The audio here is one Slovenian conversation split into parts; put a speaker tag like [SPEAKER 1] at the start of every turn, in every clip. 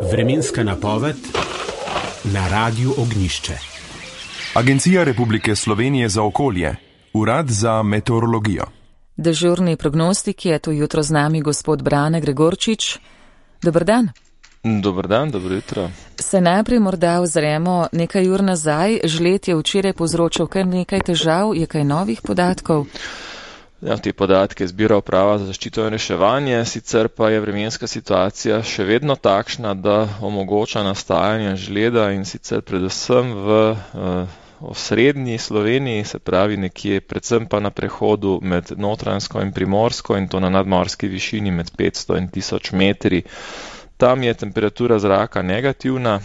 [SPEAKER 1] Vremenska napoved na Radiu Ognjišče.
[SPEAKER 2] Agencija Republike Slovenije za okolje, Urad za meteorologijo.
[SPEAKER 3] Dežurni prognostik je to jutro z nami gospod Brane Gregorčič. Dober dan.
[SPEAKER 4] Dober dan, dobro jutro.
[SPEAKER 3] Se najprej morda ozremo nekaj ur nazaj. Žled je včeraj povzročil kar nekaj težav, je kaj novih podatkov?
[SPEAKER 4] Ja, te podatke zbira Uprava za zaščito in reševanje, sicer pa je vremenska situacija še vedno takšna, da omogoča nastajanje žleda in sicer predvsem v osrednji Sloveniji, se pravi nekje, predvsem pa na prehodu med Notranjsko in Primorsko in to na nadmorski višini med 500 in 1000 metri. Tam je temperatura zraka negativna,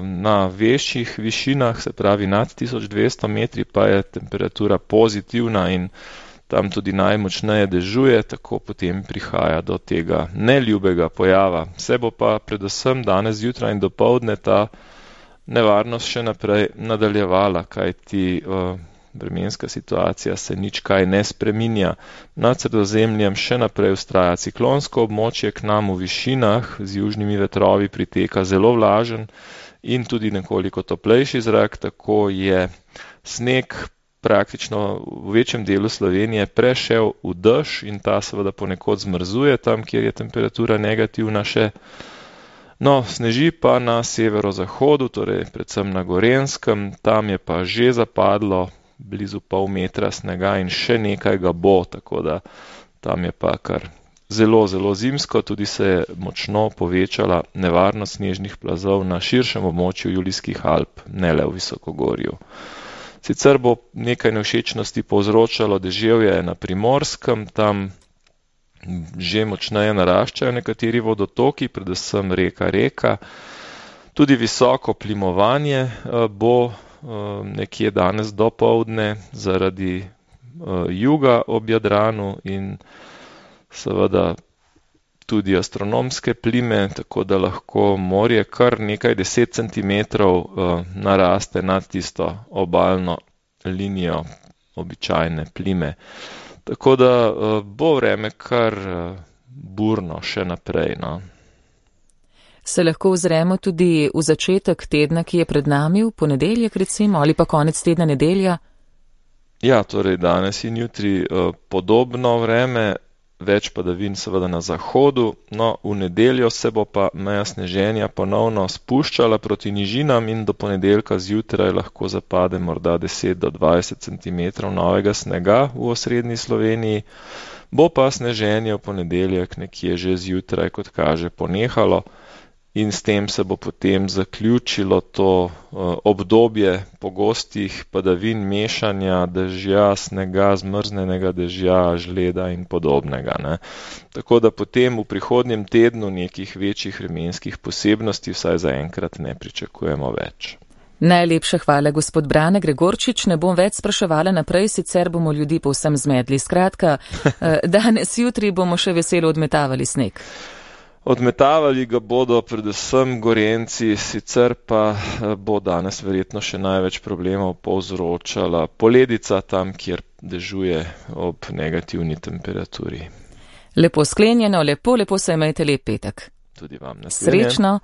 [SPEAKER 4] na večjih višinah, se pravi nad 1200 metri, pa je temperatura pozitivna in tam tudi najmočneje dežuje, tako potem prihaja do tega neljubega pojava. Se bo pa predvsem danes zjutraj in dopoldne ta nevarnost še naprej nadaljevala, kajti vremenska situacija se nič kaj ne spreminja. Nad Sredozemljem še naprej vztraja ciklonsko območje, k nam v višinah z južnimi vetrovi priteka zelo vlažen in tudi nekoliko toplejši zrak, tako je sneg praktično v večjem delu Slovenije prešel v dež in ta seveda ponekod zmrzuje tam, kjer je temperatura negativna še. No, sneži pa na severozahodu, torej predvsem na Gorenjskem, tam je pa že zapadlo blizu pol metra snega in še nekaj ga bo, tako da tam je pa kar zelo zimsko, tudi se je močno povečala nevarnost snežnih plazov na širšem območju Julijskih Alp, ne le v Visokogorju. Sicer bo nekaj nevšečnosti povzročalo deževje na Primorskem, tam že močneje naraščajo nekateri vodotoki, predvsem reka. Tudi visoko plimovanje bo nekje danes dopoldne zaradi juga ob Jadranu in seveda tudi astronomske plime, tako da lahko morje kar nekaj 10 centimetrov naraste nad tisto obalno linijo običajne plime. Tako da bo vreme kar burno še naprej. No.
[SPEAKER 3] Se lahko ozremo tudi v začetek tedna, ki je pred nami, v ponedeljek recimo, ali pa konec tedna nedelja?
[SPEAKER 4] Ja, torej danes in jutri podobno vreme, več padavin seveda na zahodu, no v nedeljo se bo pa meja sneženja ponovno spuščala proti nižinam in do ponedeljka zjutraj lahko zapade morda 10 do 20 centimetrov novega snega v osrednji Sloveniji, bo pa sneženje v ponedeljek nekje že zjutraj, kot kaže, ponehalo in s tem se bo potem zaključilo to obdobje pogostih padavin, mešanja dežja, snega, zmrznenega dežja, žleda in podobnega. Ne. Tako da potem v prihodnjem tednu nekih večjih vremenskih posebnosti vsaj zaenkrat ne pričakujemo več.
[SPEAKER 3] Najlepša hvala, gospod Brane Gregorčič. Ne bom več spraševala naprej, sicer bomo ljudi povsem zmedli. Skratka, danes jutri bomo še veselo odmetavali sneg.
[SPEAKER 4] Odmetavali ga bodo predvsem Gorenjci, sicer pa bo danes verjetno še največ problemov povzročala poledica tam, kjer dežuje ob negativni temperaturi.
[SPEAKER 3] Lepo sklenjeno, lepo se imejte lep petek.
[SPEAKER 4] Tudi vam naslednje.
[SPEAKER 3] Srečno.